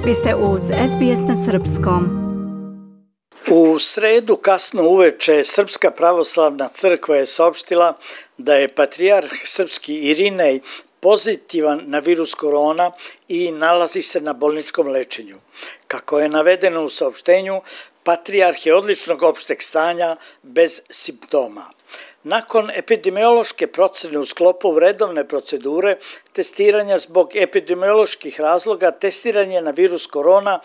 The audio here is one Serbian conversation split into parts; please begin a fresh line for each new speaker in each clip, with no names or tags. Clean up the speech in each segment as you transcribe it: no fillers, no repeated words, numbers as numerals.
Vi ste uz SBS na srpskom.
U sredu kasno uveče Srpska pravoslavna crkva je saopštila da je patrijarh srpski Irinej pozitivan na virus korona i nalazi se na bolničkom lečenju. Kako je navedeno u saopštenju, patrijarh je odličnog opšteg stanja bez simptoma. Nakon epidemiološke procene u sklopu redovne procedure testiranja zbog epidemioloških razloga, testiranje na virus korona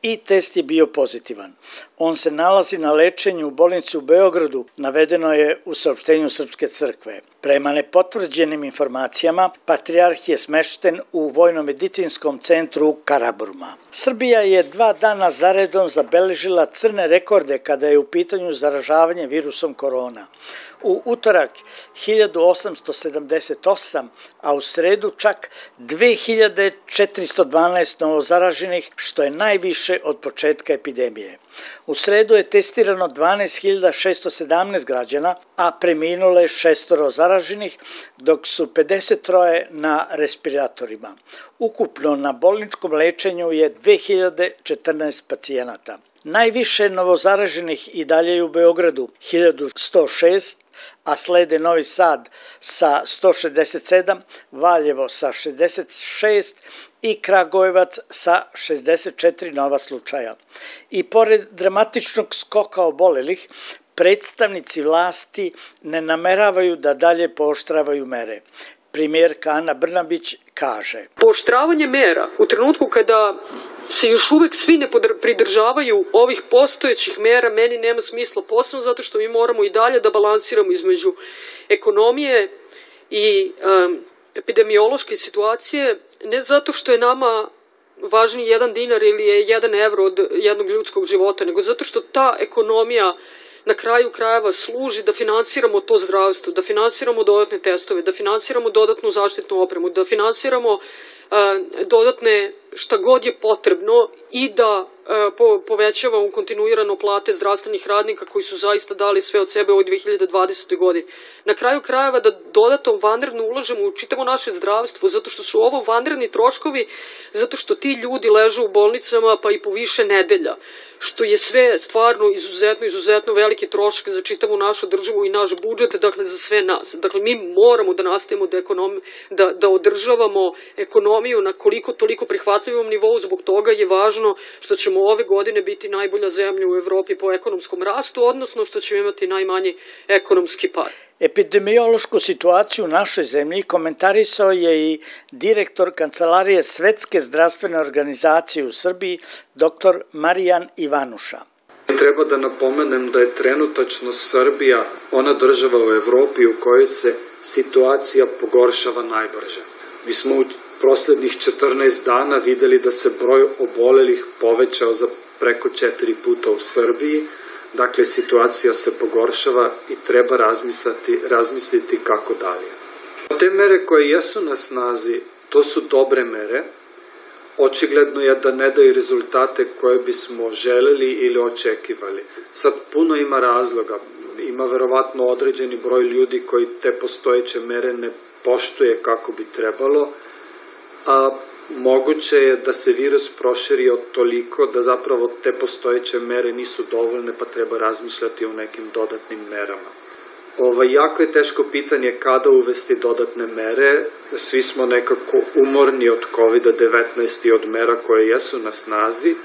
i test je bio pozitivan. On se nalazi na lečenju u bolnici u Beogradu, navedeno je u saopštenju Srpske crkve. Prema nepotvrđenim informacijama, patrijarh je smešten u Vojno-medicinskom centru Karaburma. Srbija je 2 dana zaredom zabeležila crne rekorde kada je u pitanju zaražavanje virusom korona. U utorak 1878, a u sredu čak 2412 novozaraženih, što je najviše od početka epidemije. U sredu je testirano 12.617 građana, a preminulo je 6 zaraženih, dok su 53 na respiratorima. Ukupno na bolničkom lečenju je 2014 pacijenata. Najviše novozaraženih i dalje je u Beogradu 1106, a slede Novi Sad sa 167, Valjevo sa 66 i Kragujevac sa 64 nova slučaja. I pored dramatičnog skoka obolelih, predstavnici vlasti ne nameravaju da dalje pooštravaju mere. Premijerka Ana Brnabić kaže:
Pooštravanje mera u trenutku kada se još uvek svi ne pridržavaju ovih postojećih mera meni nema smisla, posebno zato što mi moramo i dalje da balansiramo između ekonomije i epidemiološke situacije, ne zato što je nama važniji 1 dinar ili je 1 evro od jednog ljudskog života, nego zato što ta ekonomija na kraju krajeva služi da finansiramo to zdravstvo, da finansiramo dodatne testove, da finansiramo dodatnu zaštitnu opremu, da finansiramo dodatne šta god je potrebno i da povećavamo kontinuirano plate zdravstvenih radnika koji su zaista dali sve od sebe u ovoj 2020. godini. Na kraju krajeva da dodatno vanredno ulažemo u čitavo naše zdravstvo, zato što su ovo vanredni troškovi, zato što ti ljudi ležu u bolnicama pa i po više nedelja, što je sve stvarno izuzetno veliki trošak za čitavu našu državu i naš budžet, dakle za sve nas. Dakle, mi moramo da nastavimo da održavamo ekonomiju na koliko toliko prihvatljivom nivou, zbog toga je važno što ćemo ove godine biti najbolja zemlja u Evropi po ekonomskom rastu, odnosno što ćemo imati najmanji ekonomski pad.
Epidemiološku situaciju u našoj zemlji komentarisao je i direktor Kancelarije Svetske zdravstvene organizacije u Srbiji, dr. Marijan Ivanuša.
Treba da napomenem da je trenutačno Srbija ona država u Evropi u kojoj se situacija pogoršava najbrže. Mi smo u proslednjih 14 dana videli da se broj obolelih povećao za preko 4 puta u Srbiji. Dakle, situacija se pogoršava i treba razmisliti kako dalje. Te mere koje jesu na snazi, to su dobre mere. Očigledno je da ne daju rezultate koje bismo želeli ili očekivali. Sad puno ima razloga. Ima verovatno određeni broj ljudi koji te postojeće mere ne poštuje kako bi trebalo, a moguće je da se virus proširi od toliko da zapravo te postojeće mere nisu dovoljne pa treba razmišljati o nekim dodatnim merama. Jako je teško pitanje kada uvesti dodatne mere. Svi smo nekako umorni od COVID-19 i od mera koje jesu na snazi,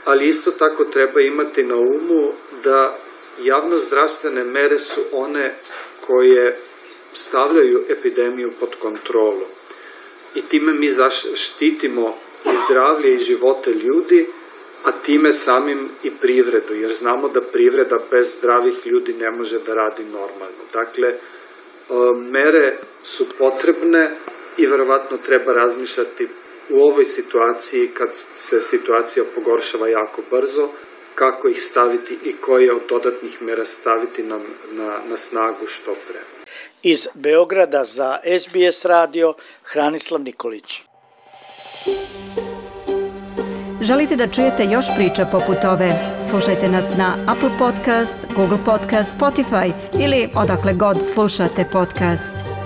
ali isto tako treba imati na umu da javnozdravstvene mere su one koje stavljaju epidemiju pod kontrolu. I time mi štitimo i zdravlje i živote ljudi, a time samim i privredu, jer znamo da privreda bez zdravih ljudi ne može da radi normalno. Dakle, mere su potrebne i verovatno treba razmišljati u ovoj situaciji kad se situacija pogoršava jako brzo, kako ih staviti i koje od dodatnih mera staviti na snagu što pre.
Iz Beograda za SBS radio, Hranislav Nikolić.
Želite da čujete još priča poput ove? Slušajte nas na Apple Podcast, Google Podcast, Spotify ili odakle god slušate podcast.